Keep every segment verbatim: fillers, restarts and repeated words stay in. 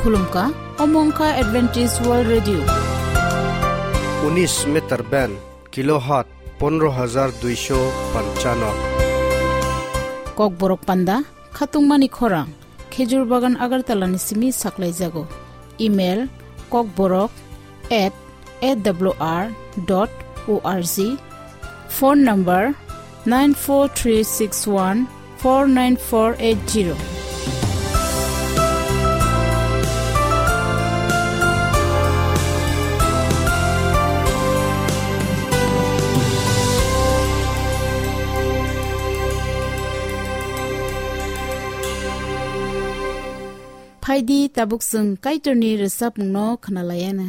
Khulumkha, omo wngkha Adventist World Radio. Unis meter band, kilohertz pondro hajar duisho panchano. Kokborok panda, khatungmani khorang, Khejur Bagan Agartala ni simi saklaijago. Email, kokborok at A W R dot O R G. Phone number nine four three six one four nine four eight zero. Phaidi tabuk chwng Kaitorni rwchapmungno khwnalaiana.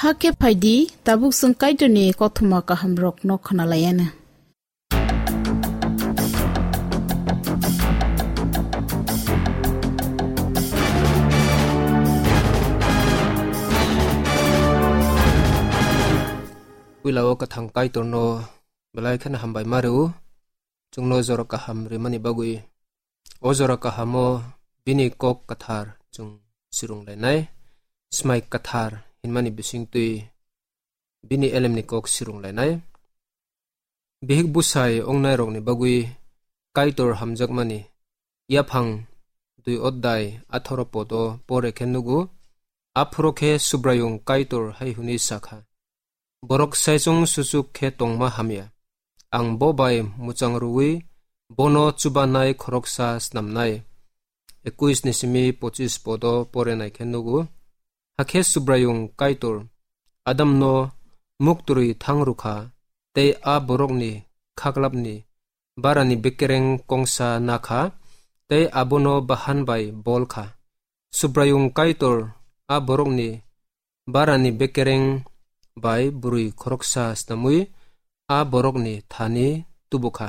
Hakhe phaidi, tabuk chwng Kaitorni kothoma kahamrokno khwnalaianw. Puila o kwthang Kaitorno belai kheno hambai ma rw, chwngno jora kaham rimani bagwi. O jora kahamo bini kok kwthar chwng sirung lainai, Smai Kwthar hinmani bisingtwi bini elemni kok sirung lainai. Bihik busai ongnairokni bagwi Kaitor hamjakmani yaphang dui oddai atharo podo pore khe nugo, aphuru khe Subraiyung Kaitor hai hwnwi sakha, "Borok saichung suchuk khe tongma hamya. Ang bo bai muchang rwui bono chubanai khoroksa snamnai." Ekuis ni simi pochis podo pore nai khe nugo. Hakhe Subraiyung Kaitor Adamno muktrwi thang rwkha, tei a borokni khaklapni barani bekereng kongsa nakha, tei abono bahan bai bol kha. Subraiyung Kaitor a borokni barani bekereng bai bwrwi khoroksa snamwi a borokni thani tubu kha.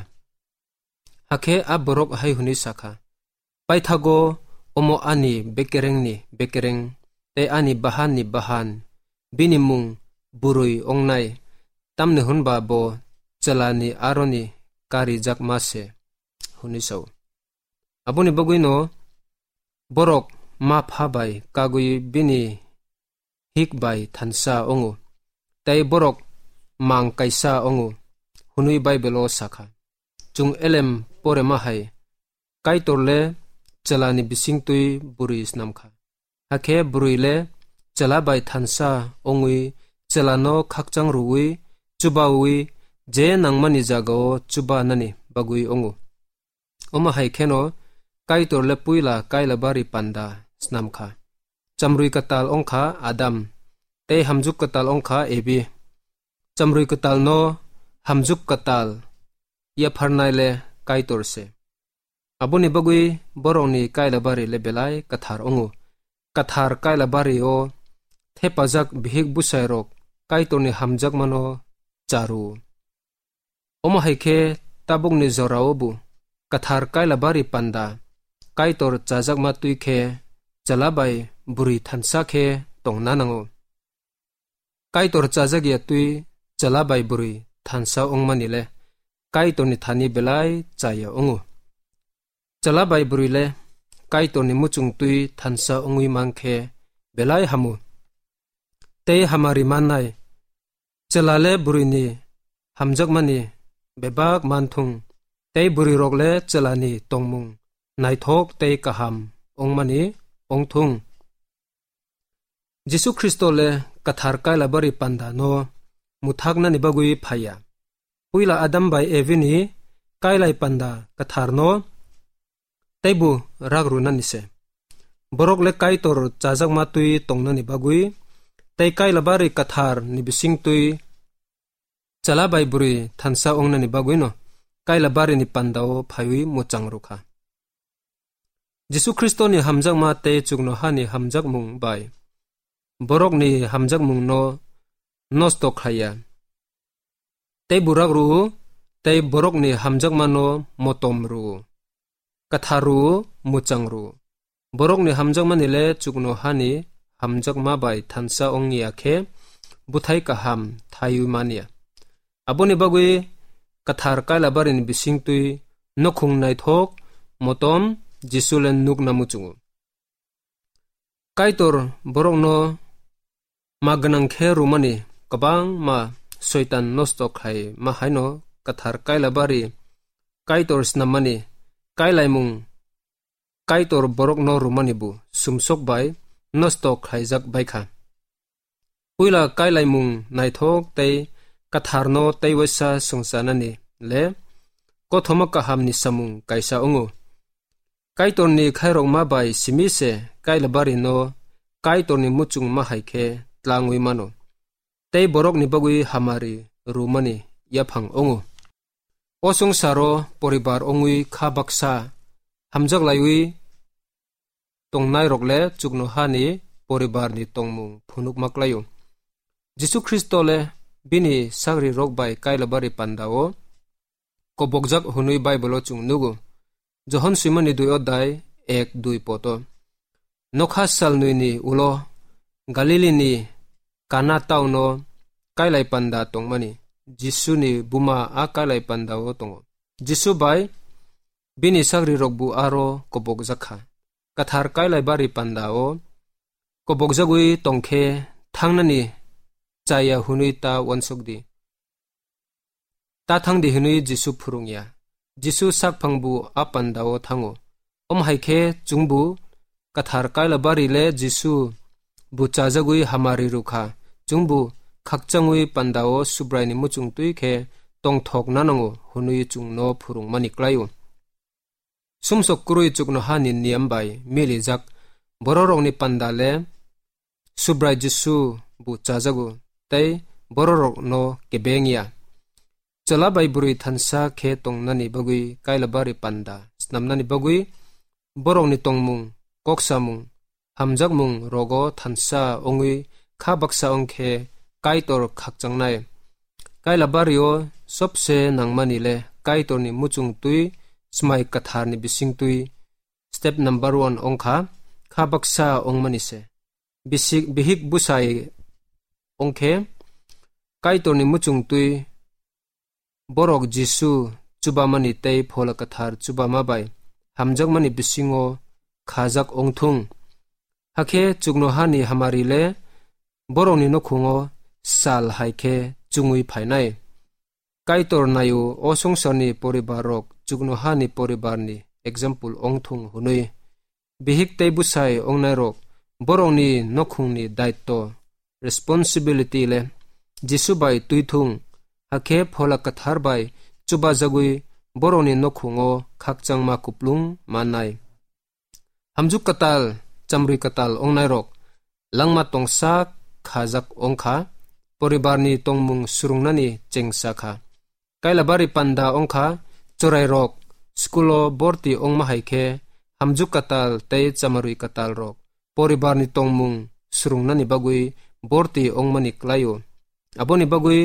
Hakhe a borok hai hwnwi sa kha, "Paithago omo ani bekerengni bekereng tei ani bahanni bahan, bini mung bwrwi ongnai, tamni hwn ba bo chwlani aroni karijakma se," hwnwi sa-o. Aboni bagwino borok ma pha bai kagwi bini hik bai thansa wngo, tei borok mang kaisa wngo, hwnwi Baibelo sa kha. Chwng elem porema hai, Kaitor le chwlani bisingtwi bwrwi snam kha. Hakhe bwrwi le chwla bai thansa wngwi chwlano khakchang rwui, chubaui, je nangmani jagao chubanani bagwi wngo. Omo hai kheno Kaitor le puila kailabari panda snam kha. Chamrwi kwtal wng kha Adam, tei hamjuk kwtal wng kha Evi. Chamrwi kwtalno hamjuk kwtal yapharnai le Kaitor se. Aboni bagwi borokni kailabari le belai kwthar wngo. Kwthar kailabari-o thepajak bihik busairok Kaitorni hamjakmano cha rw-o. Omo hai khe tabukni jorao bo kwthar kailabari panda Kaitor chajakma twi khe chwla bai bwrwi thansa khe tongna nango. Kaitor chajak ya twi chwla bai bwrwi thansa wngmani le Kaitorni thani belai cha ya wngo. Chwla bai bwrwi le Kaitorni muchung twi thansa wngwi man khe belai hamo. Tei hamari mannai, chwla le bwrwini hamjakmani bebak man thung, tei bwrwirok le chwlani tongmung naithok tei kaham wngmani wng thung. Jisu Khristo le kwthar kailabari panda no muthaknani bagwi phaiya. Puila Adam bai Evi ni kailai panda kwthar no teibo rak rwnani se. Borok le Kaitor chajakma twi tongnani bagwi tei kailabari kwthar ni bising twi chwla bai bwrwi thansa wngnani bagwino kailabari ni panda o phaiwi muchang rwkha. Jisu Khristo ni hamjakma tei chuknoha ni hamjakmung bai borok ni hamjakmung no nosto khlaiya. Tei burak rw-o, tei borok ni hamjakma no motom rw-o, kwthar rw-o, muchang rw-o. Borok ni hamjakmani le chuknoha ni hamjakma bai thansa wng ya khe bwthai kaham thaiwi man ya. Aboni bagwi kwthar kailabari ni bising twi nukhung naithok motom Jisu le nukna muchungo. Kaitor borokno ma gwnang khe rwmani kwbangma soitan nosto khlai ma haino kwthar kailabari Kaitor snammani kailaimung Kaitor borokno rwmani bo sumsok bai nosto khlaijak bai kha. Puila kailaimung naithok tei kwtharno tei waisa swngcharnani le kothoma kahamni samung kaisa wngo. Kaitorni khairokma bai simi se kailabarino Kaitorni muchungma hai khe tlangwi mano, tei borokni bagwi hamari rwmani yaphang wngo. O swngcharo poribar wngwi kha baksa hamjaklaiwi tongnairok le chuknohani poribarni tongmung phunukma klaio. Jisu Khristo le bini sagrirok bai Kailabari pandao kobokjak hwnwi Bible-o chwng nugo. Johon swimani dui odai ek dui poto. Nokha salnwini ulo Galilini Kana tauno kailai panda tongmani. Jisuni buma a kailai pandao tongo. Jisu bai bini sagrirokbo aro kobokjak kha. Kathar Kailabari pandao kobokjagwi tongkhe thangnani chaya hwnwi ta uansuk di. Ta thang di hwnwi Jisu phwrwng ya. Jisu sakphang bu a pandao thango. Omo hai khe chwngbu Kathar Kailabari le Jisu bu chajagwi hamari rw kha. Chwngbu khakchangwi pandao Subraini muchung twi khe tongthok nanango hwnwi chwngno phwrwngmani klai-o. Sumsok kwrwi chuknohani niyam bai milijak bororokni panda le Subrai Jisu bu chajago tei bororokno kebeng ya. Chwla bai bwrwi thansa khe tongnani bagwi Kailabari panda snamnani bagwi borokni tongmung, koksamung, hamjakmung rogo thansa wngwi kha baksa wng khe Kaitor khakchangnai. Kailabari-o sobse nangmani le Kaitorni muchung twi, Smai Katharni bising twi, step number one wng kha, kha baksa wngmani se. Bisik, bihik busai wng khe Kaitorni muchung twi borok Jisu chubamani tei Phola Kathar chubama bai hamjakmani bisingo khajak wng thung. Hakhe chuknohani hamari le borokni nukhungo sal hai khe chungwi phainai. Kaitor naio o songsarni poribarrok chuknohani poribarni example wng thung hwnwi. Bihik tei bwsai wngnairok borokni nukhungni daitto, responsibility le Jisu bai twi thung, hakhe Phola Kathar bai chubajagwi borokni nukhungo khakchangma kuplung mannai. Hamjuk katal, chamrwi katal wngnairok langma tongsa khajak wng kha, poribarni tongmung swrwngnani chengsa kha. Kailabari panda wng kha, chwrairok school-o borti wngma hai khe hamjuk katal tei chamrwi katalrok poribarni tongmung swrwngnani bagwi borti wngmani klai-o. Aboni bagwi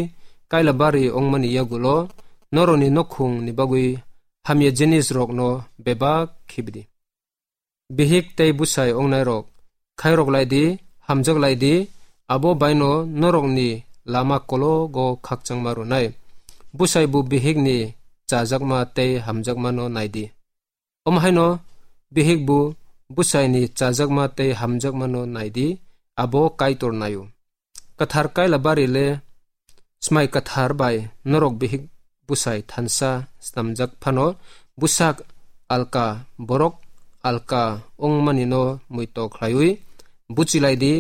Kailabari wngmani yagulo norokni nukhungni bagwi hamya jinisrokno bebak khibidi. Bihik tei bwsai wngnairok, khairok lai di, hamjak lai di, abo baino norokni lama kologo khakchangma rwnai. Bwsai bo bihikni chajakma tei hamjakmano nai di. Omo haino bihik bo bwsaini chajakma tei hamjakmano nai di, abo Kaitor naio. Kathar Kailabari le Smai Kathar bai norok bihik bwsai thansa snamjak phano bwsak alka borok alka wngmanino muitok khlaiwi buchi lai di,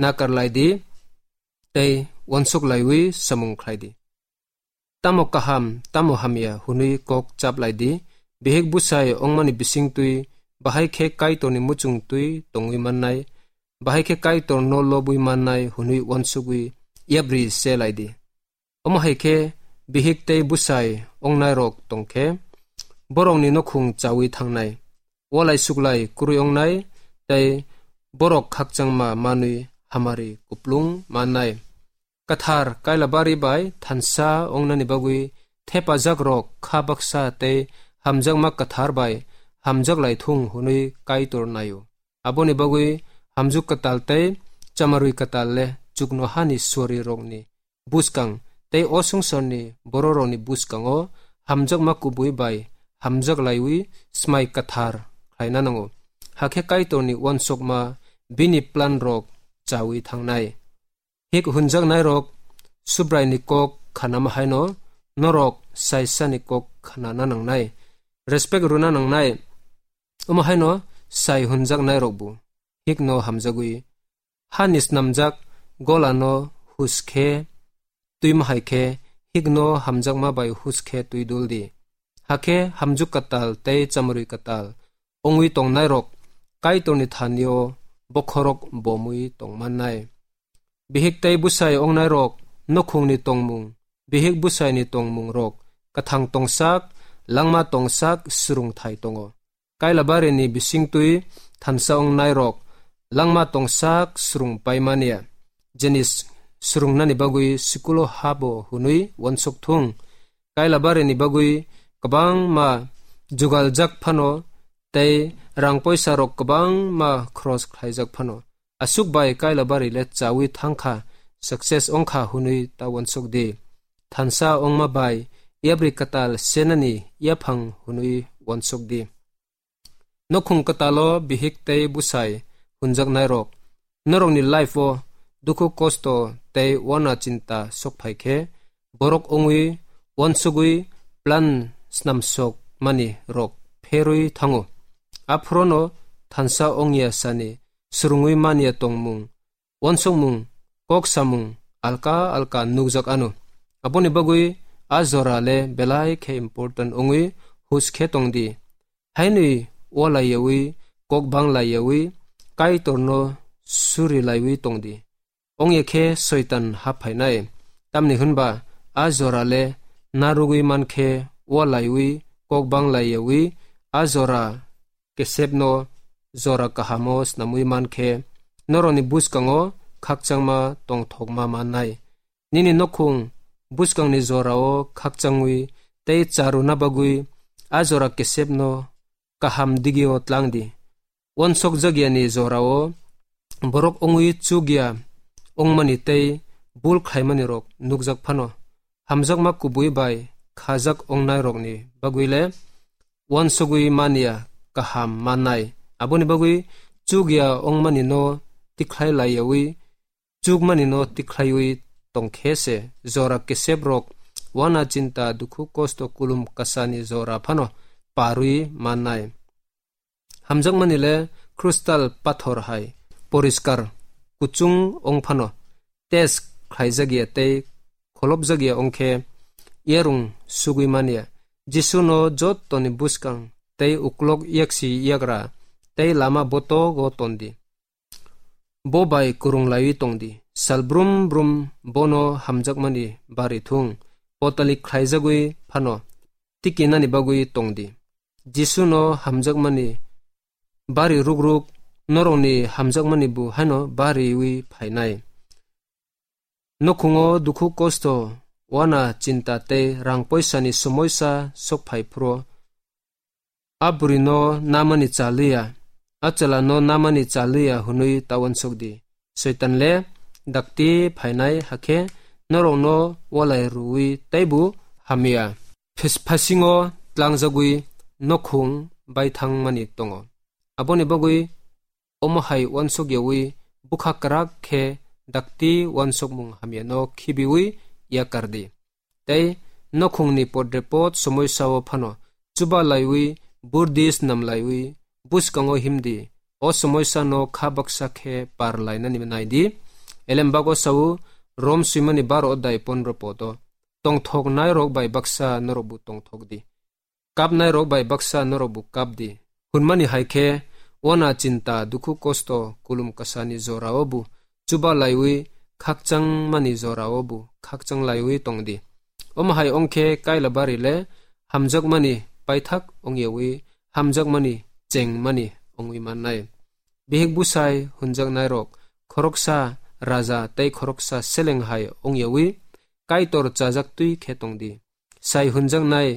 nakar lai di tei uansuk laiwi samung khlai di. Tamo kaham, tamo hamya hwnwi kok chap lai di. Bihik bwsai wngmani bising twi bahai khe Kaitorni muchung twi tongwi mannai, bahai khe Kaitorno lobwi mannai hwnwi uansugwi yapri se lai di. Omo hai khe bihik tei bwsai wngnairok tong khe borokni nukhung chaui thangnai, walai suklai kwrwi wngnai tei borok khakchangma manwi hamari kuplung mannai. Kathar Kailabari bai thansa wngnani bagwi thepajakrok kha baksa tei hamjakma kathar bai hamjak lai thung hwnwi Kaitor naio. Aboni bagwi hamjuk katal tei chamarwi katal le chukno hani suarirokni buskang tei o songsorni bororokni buskango hamjakma kubui bai hamjak laiwi smai kathar khlaina nango. Hakhe Kaitorni uansukma bini planrok chaui thangnai. Hik hunjaknairok Subraini kok khanama haino norok saisani kok khanana nangnai, respect rwna nangnai. Omo haino sai hunjaknairokbo hikno hamjagwi, hani snamjak golano hus khe twima hai khe, hikno hamjakma bai hus khe twi dul di. Hakhe hamjuk katal tei chamrwi katal wngwi tongnairok Kaitorni thanio bokhorok bomwi tongmannai. Bihik tei bwsai wngnairok nukhungni tongmung, bihik bwsaini tongmungrok kwthang tongsak, langma tongsak swrwngthai tongo. Kailabarini bisingtwi thansa wngnairok langma tongsak swrwng paimani ya. Jenis swrwngnani bagwi school-o habo hwnwi uansuk thung. Kailabarini bagwi kwbangma jugaljak phano tei rang poisa rok kwbangma khorok khlaijak phano, aswk bai Kailabari le chawi thangkha, success wngkha hwnwi ta uansuk di. Thansa wngma bai yapri kwtal senani yaphang hwnwi uansuk di. Nukhung kwtalo bihik tei bwsai hwnjaknairok, norokni life-o dukhu kosto tei uana chinta sokphai khe, borok wngwi uansugwi plan snamsok mani rok pherwi thango. Aphurono thansa wngya sani swrwngwi manya tongmung, uansukmung, kok samung alka alka nukjak ano. Aboni bagwi a jora le belai khe important wngwi hus khe tong di. Hainwi walaiyawi, kok banglaiyawi, Kaitorno surilaiwi tong di. Ongya khe Soitan hap phainai. Tamni hwnba a jora le narwgwi man khe walaiwi, kok banglaiyawi, a jora kesepno jora kahamo snamwi man khe, norokni bwskango khakchangma tongthokma mannai. Nini nukhung bwskangni jorao khakchangwi tei charwna bagwi a jora kesepno kaham digio tlang di. Uansukjakyani jorao borok wngwi chukya wngmani tei bul khlaimani rok nukjak phano, hamjakma kubui bai khajak wngnairokni bagwi le uansugwi manya kaham mannai. Aboni bagwi chukya wngmani no tikhlai laiyawi, chukmani no tikhlaiwi tongkhe se jora kesep rok uana chinta dukhu kosto kulum kasani jora phano parwi mannai. Hamjakmani le crystal pathor hai poriskar kuchung wng phano, test khlaijak ya tei kholopjak ya wng khe yarung sugwi man ya. Jisu no jottoni bwskang tei uklok yaksi yagra tei lama botogo ton di. Bo bai kwrwng laiwi tong di. Sal brum brum bono hamjakmani bari thung. Potalik khlaijagwi phano tikinani bagwi tong di. Jisu no hamjakmani bari ruk ruk, norokni hamjakmani bo haino bariwi phainai. Nukhungo dukhu kosto, uana chinta tei rang poisani somoisa sok phai phro, a bwrwino namani cha liya, a chwlano namani cha liya hwnwi ta uansuk di. Soitan le dakti phainai hakhe norokno walai rwui teibo hamya. Phis-, phasingo tlangjagwi nukhung baithangmani tongo. Aboni bagwi omo hai uansuk yawi bwkha kwrak khe dakti uansukmung hamyano khibiwi yakar di. Tei nukhungni podrepot somoisao phano chuba laiwi, burdi snam laiwi, bwskango him di. O somoisano kha baksa khe par lainani nai di. Elembago sao, Rom swimani baro odai pondro podo. Tongthok nairok bai baksa norokbo tongthok di. Kapnairok bai baksa norokbo kap di. Hwnmani hai khe, uana chinta, dukhu kosto, kulum kasani jorao bo chuba laiwi, khakchangmani jorao bo khakchang laiwi tong di. Omo hai wng khe Kailabari le hamjakmani paithak wng yawi, hamjakmani chengmani wngwi mannai. Bihik bwsai hwnjaknairok khoroksa raja tei khoroksa seleng hai wng yawi, Kaitor chajak twi khe tong di. Sai hwnjaknai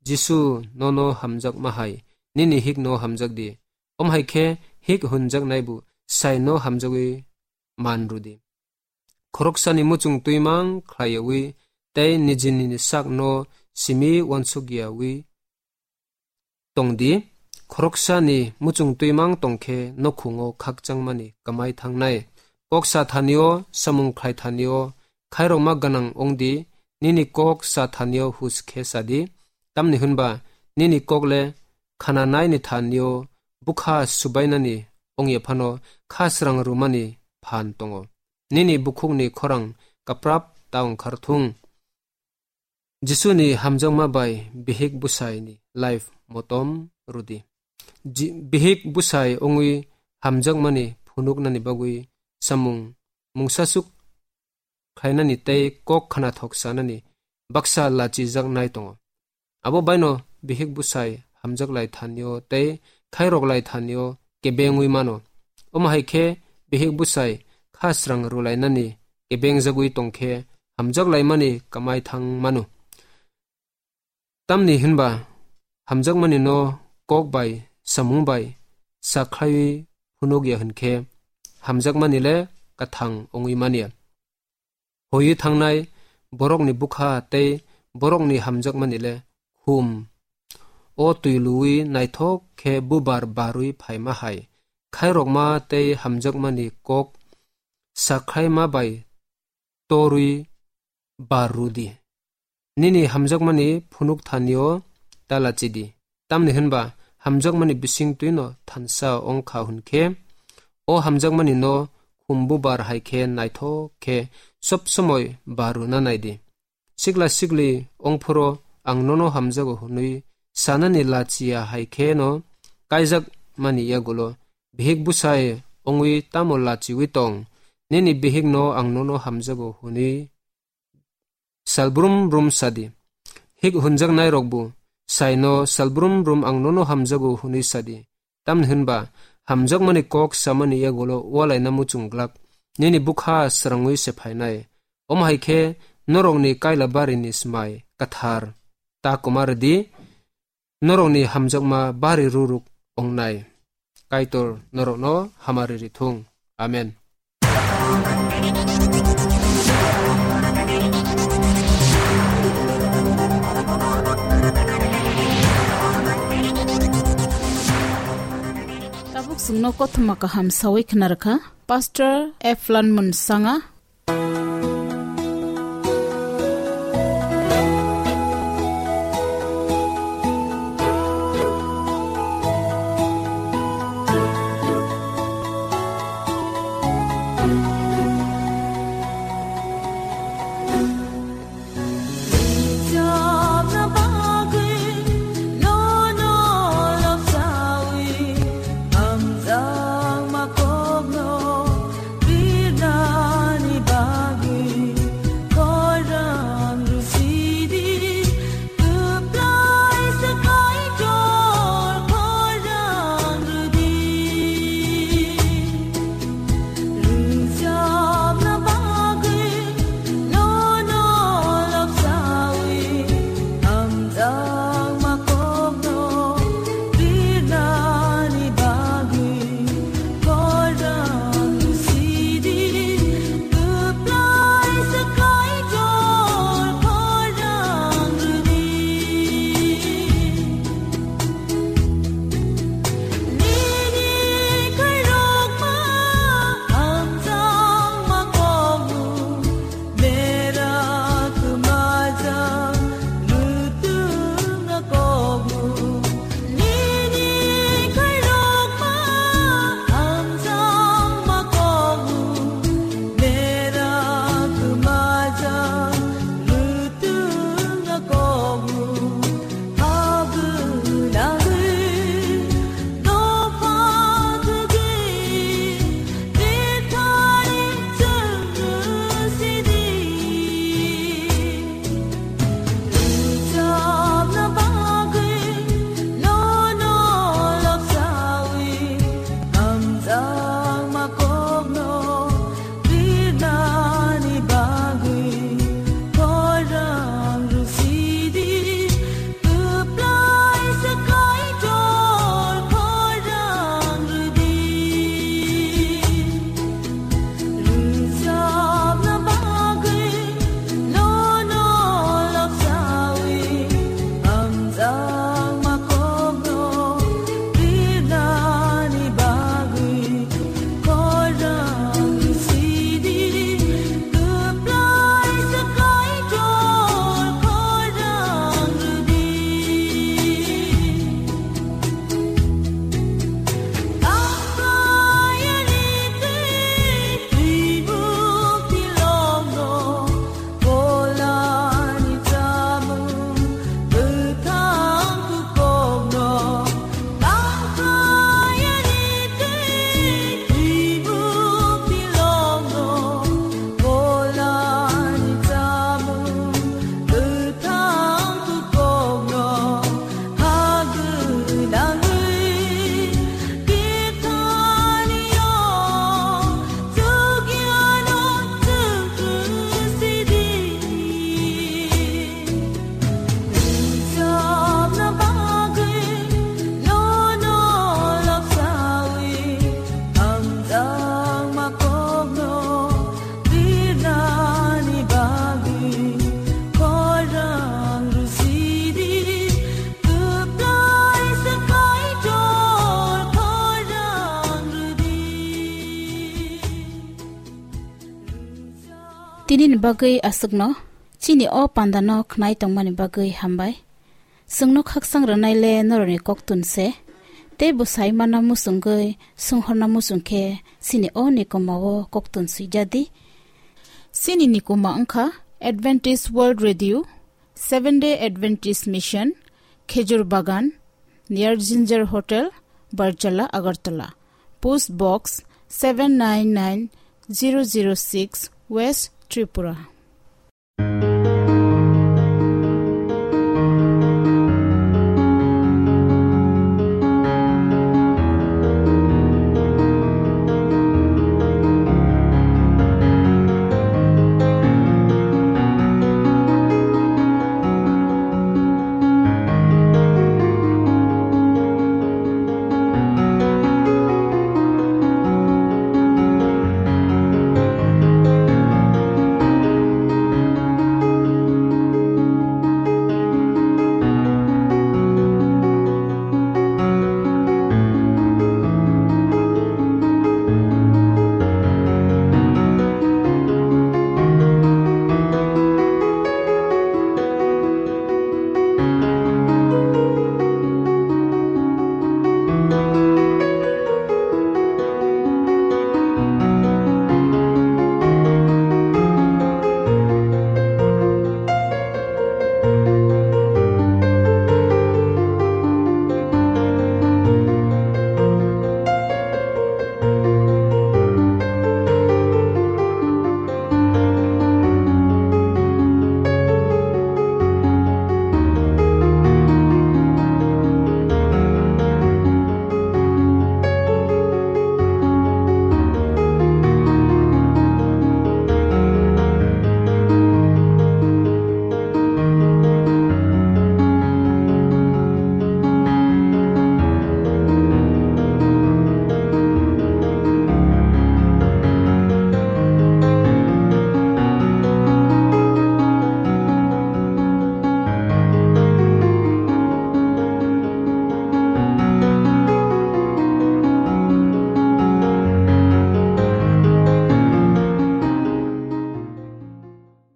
Jisu nono hamjakma hai, nini hikno hamjak di. Om hai khe hik hwnjaknai bo sai no hamjagwi man rw di. Khoroksani muchung twimang khlaiyawi tei nijini sakno simi uansukyawi tong di. Khoroksani muchung twimang tong khe nokhungo khakchangmani kwmai thangnai. Kok sa thanio, samung khlai thanio, khairokma gwnang wng di, nini kok sa thanio hus khe sa di. Tamni hwnba nini kok le khananaini thanio bwkha subainani wngya phano kha srang rwmani phan tongo. Nini bukhukni khorang kaprap ta wngkhar thung. Jisuni hamjakma bai bihik bwsaini life motom rw di. Ji-, bihik bwsai wngwi hamjakmani phunuknani bagwi samung mungsasuk khlainani tei kok khnathok sanani baksa lachijaknai tongo. Abo baino bihik bwsai hamjak lai thanio tei khairok lai thanio kebengwi mano. Omo hai khe bihik bwsai kha srang rwlainani kebengjagwi tongkhe hamjak laimani kamai thang mano. Tamni hinba hamjakmani no kok bai samung bai sakhlaiwi phunukya hinkhe hamjakmani le kathang wngwi manya. Hoiwi thangnai borokni bwkha tei borokni hamjakmani le khum. O twi luwi naithok khe bubar barwi phaima hai khairokma tei hamjakmani kok sakhlaima bai torwi bar rw di. Nini hamjakmani phunuk thanio ta lachi di. Tamni hinba hamjakmani bising twino thansa wng kha hwn khe, o hamjakmani no khum bubar hai khe naithok khe sob somoi bar rwna nai di. Sikla sikli wng phuru ang nono hamjago hwnwi sanani lachiya hai khe no kaijak mani yagulo bihik bwsai wngwi tamo lachiwi tong? Nini bihik no ang nono hamjago hwnwi salbrum brum sadi. Hik hunjaknai rokbo saino salbrum brum ang nono hamjago hwnwi sadi. Tamni hinba hamjakmani kok samani yagulo walaina muchung glak nini bwkha srangwi se phainai. Omo hai khe norokni kaila barini smai kathar ta kwma rwdi, norokni hamjakma bari ruruk wngnai. Kaitor norokno hamari rithung. Amen. Tabuk chwngno kothoma kaham sawi khna rwkha Pastor Eflan Munsanga. Nini bagwi aswkno chini o pandano khnai tongmani bagwi hambai. Chwngno khakchang rwnaile norokni koktun se. Tei bo sai mana muchungwi, swnghorna muchung khe chini o nikoma o koktun swijadi. Chini nikoma wngkha Adventist World Radio, Seventh Day Adventist Mission, Khejur Bagan, near Ginger Hotel, Barjala, Agartala. Post Box seven nine nine zero zero six, West Tripura.